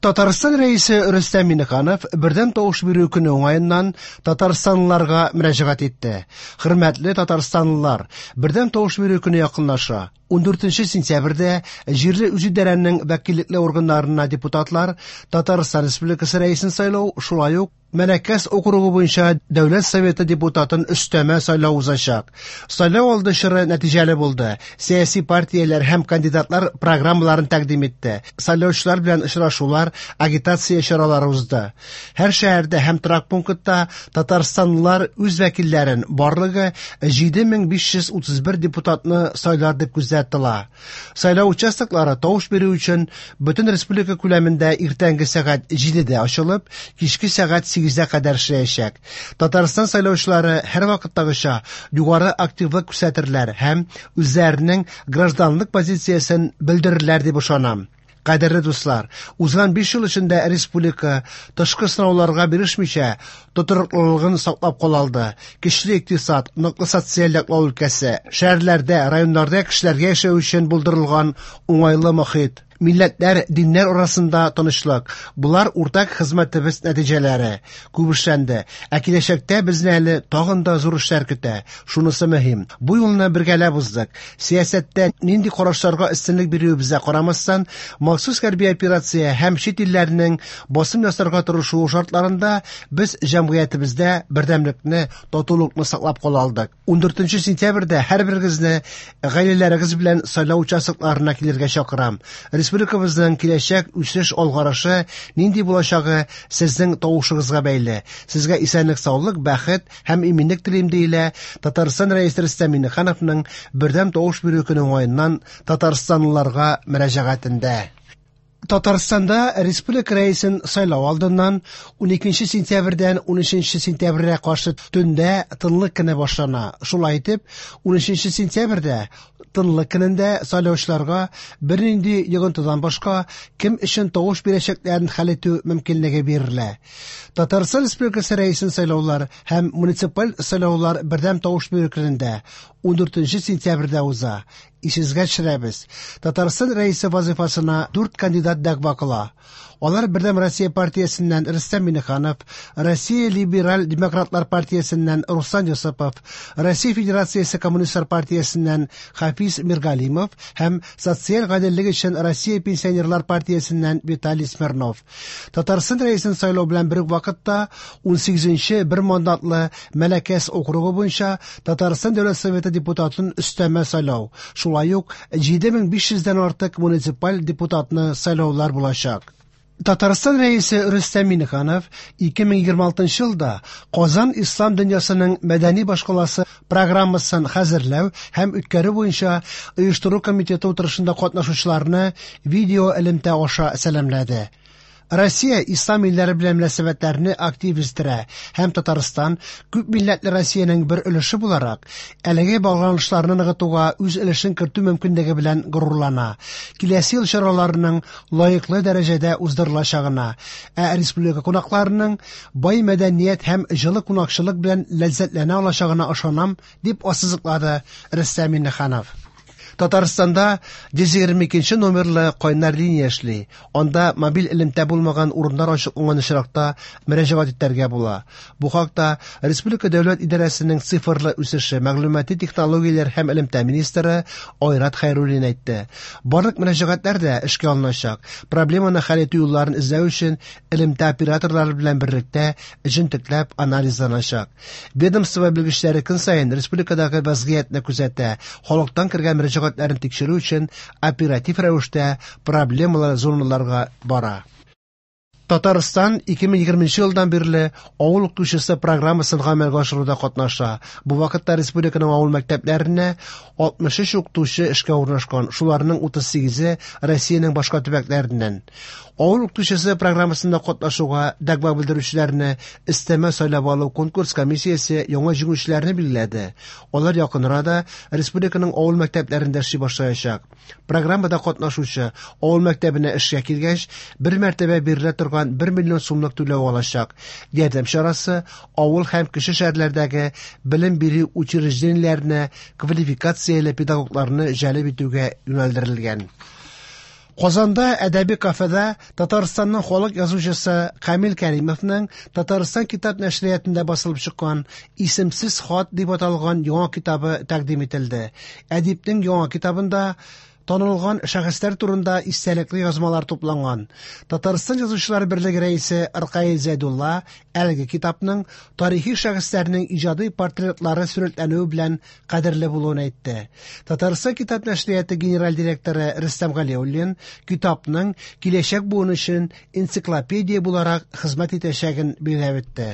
Татарстан Рәисе Рөстәм Миңнеханов бердәм тавыш бирү көне уңаеннан татарстанлыларга мөрәҗәгать итте. Хөрмәтле татарстанлылар, бердәм тавыш бирү көне якынлаша. 14 сентябрьдә җирле үзидарәнең вәкиллекле органнарына депутатлар Татарстан Республикасы Рәисен сайлау, шулай ук Мәләкәс округы буенча Дәүләт Советы депутатын өстәмә сайлау узачак. Сайлау алды чоры нәтиҗәле булды. Сәяси партияләр һәм кандидатлар программаларын тәкъдим итте. Сайлаучылар белән очрашулар, агитация чаралары узды. Һәр шәһәрдә һәм торак пунктта татарстанлылар үз вәкилләрен, барлыгы 7531 депутатны сайлар дип күздә тотыла. Сайлау участоклары тавыш бирү өчен бөтен республика күләмендә иртәнге сәгать 7дә ачылып, кичке сәгать 8дә кадәр эшләячәк. Татарстан сайлаучылары һәрвакыттагыча югары активлык күрсәтерләр һәм үзләренең гражданлык позициясен белдерерләр дип ышанам. Кадерле дуслар, узган 5 ел эчендә республика тышкы сынауларга бирешмичә тотрыклылыгын саклап кала алды. Көчле икътисад, ныклы социаль яклау өлкәсе, шәһәрләрдә, районнарда кешеләргә яшәү өчен булдырылган уңайлы мохит, милләтләр, диннәр арасында тынычлык – болар уртак хезмәтебез нәтиҗәләре. Күп эшләнде, ә киләчәктә безне әле тагын да зур эшләр көтә. Шунысы мөһим, бу юлны бергәләп уздык. Сәясәттә нинди карашларга өстенлек бирүебезгә карамастан, махсус хәрби операция һәм чит илләрнең басым ясарга тырышуы шартларында без җәмгыятебездә бердәмлекне, татулыкны саклап кала алдык. 14 сентябрьдә һәрберегезне гаиләләрегез белән сайлау участокларына килергә чакырам. Республикабызның киләчәк үсеш алгарышы нинди булачагы сезнең тавышыгызга бәйле. Сезгә исәнлек-саулык, бәхет һәм иминлек телим, диелә Татарстан Рәисе Рөстәм Миңнехановның бердәм тавыш бирү көне уңаеннан татарстанлыларга мөрәҗәгатендә. Татарстанда республика рәисен сайлау алдыннан 12 сентябрьдән 13 сентябрьгә каршы төндә тынлык көне башлана. Шулай итеп, 13 сентябрьдә тынлык көнендә сайлаучыларга бернинди йогынтыдан башка кем өчен тавыш бирәчәкләрен хәл итү мөмкинлеге бирелә. Татарстан Республикасы рәисен сайлаулар һәм муниципаль сайлаулар бердәм тавыш бирү көнендә 14 сентябрьдә уза. Исегезгә төшерәбез. Татарстан рәисе вазифасына 4 кандидат дәгъва кыла. Алар Бердәм Россия партиясеннән Рөстәм Миңнеханов, Россия Либераль Демократлар партиясеннән Руслан Йосыпов, Россия Федерациясе Коммунистлар партиясеннән Хафиз Миргалимов һәм Социаль гаделлек өчен Россия Пенсионерлар партиясеннән Виталий Смирнов. Татарстан рәисен сайлау белән бер үк вакытта 18нче бер мандатлы Мәләкәс округы буенча Татарстан Дәүләт Советы депутатын өстәмә сайлау, шулай ук 7500дән артык муниципаль депутатны сайлаулар булачак. Татарстан Рәисе Рөстәм Миңнеханов 2026 елда Казан ислам дөньясының мәдәни башкаласы программасын хәзерләү һәм үткәрү буенча оештыру комитеты утырышында катнашучыларны видео элемтә аша сәламләде. Россия ислам илләре белән мөнәсәбәтләрне актив үстерә һәм Татарстан күп милләтле Россиянең бер өлеше буларак әлеге багланышларны ныгытуга үз өлешен кертү мөмкинлеге белән горурлана. Киләсе ел чараларының лаеклы дәрәҗәдә уздырылачагына, ә республика кунакларының бай мәдәният һәм җылы кунакчылык белән ләззәтләнә алачагына ышанам, дип ассызыклады Рөстәм Миңнеханов. Татарстанда 122 номерлы кайнар линия эшли. Анда мобиль элемтә булмаган урыннар ачыкланган очракта мөрәҗәгать итәргә була. Бу хакта Республика дәүләт идарәсенең цифрлы үсеше, мәгълүмати технологияләр һәм элемтә министры Айрат Хәйруллин әйтте. Барлык мөрәҗәгатьләр дә эшкә алыначак. Проблеманы хәл итү юлларын эзләү өчен элемтә операторлары белән берлектә җентекләп анализланачак. Ведомство белгечләре көн саен республикадагы вазгыятьне күзәтә, халыктан кергән мөрәҗәгатьләрен тикшерү өчен оператив рәвештә проблемалы зоналарга бара. Татарстан 2020 елдан бирле авыл укытучысы программасын гамәлгә ашыруда катнаша. Бу вакытта республиканың авыл мәктәпләренә 63 укытучы эшкә урнашкан, шуларның 38-е Россиянең башка төбәкләреннән. Авыл укытучысы программасында катнашуга дәгъва белдерүчеләрне өстәмә сайлап алу конкурс комиссиясе яңа җиңүчеләрне билгеләде. Алар якын арада республиканың авыл мәктәпләрендә эшли башлаячак. Программада катнашучы авыл мәктәбенә эшкә килгәч, бер мәртәбә бирелә торган 1 миллион сумлык түләү алачак. Ярдәм чарасы авыл һәм кече шәһәрләрдәге белем бирү учреждениеләренә квалификацияле педагогларны җәлеп итүгә юнәлдерелгән. Казанда әдәби кафеда Татарстанның халык язучысы Камил Кәримовның Татарстан китап нәшриятында басылып чыккан Исемсез хат дип аталган яңа китабы тәкъдим ителде. Әдипнең яңа китабында танылган шәхесләр турында истәлекле язмалар тупланган. Татарстан Язучылар берлеге рәисе Ркаил Зәйдулла әлеге китапның тарихи шәхесләрнең иҗади портретлары сурәтләнүе белән кадерле булуын әйтте. Татарстан китап нәшрияты генераль директоры Рөстәм Галиуллин китапның киләчәк буын өчен энциклопедия буларак хезмәт итәчәген билгеләп үтте.